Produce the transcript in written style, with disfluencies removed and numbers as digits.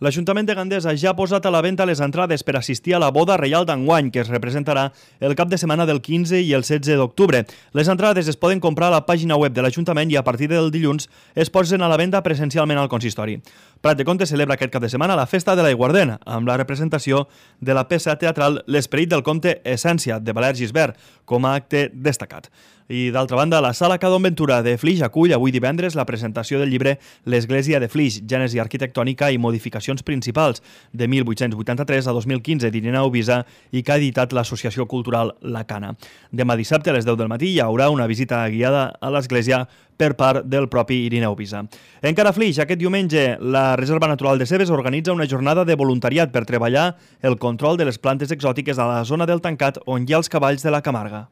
L'Ajuntament de Gandesa ja ha posat a la venda les entrades per assistir a la boda reial d'enguany, que es representarà el cap de setmana del 15 i el 16 d'octubre. Les entrades es poden comprar a la pàgina web de l'Ajuntament i a partir del dilluns es posen a la venda presencialment al consistori. Prat de Comte celebra aquest cap de setmana la Festa de l'Aiguardent, amb la representació de la peça teatral L'esperit del comte Essència, de Valère Gisbert, com a acte destacat. I d'altra banda, la Sala Cadon Ventura de Flix acull avui divendres la presentació del llibre L'Església de Flix, gènesi arquitectònica i modificacions principals, de 1883 a 2015 d'Ireneu Visa i que ha editat l'Associació Cultural La Cana. Demà dissabte a les 10 del matí hi haurà una visita guiada a l'església per part del propi Ireneu Visa. Encara a Flix, aquest diumenge, la Reserva Natural de Cebes organitza una jornada de voluntariat per treballar el control de les plantes exòtiques a la zona del Tancat on hi ha els cavalls de la Camarga.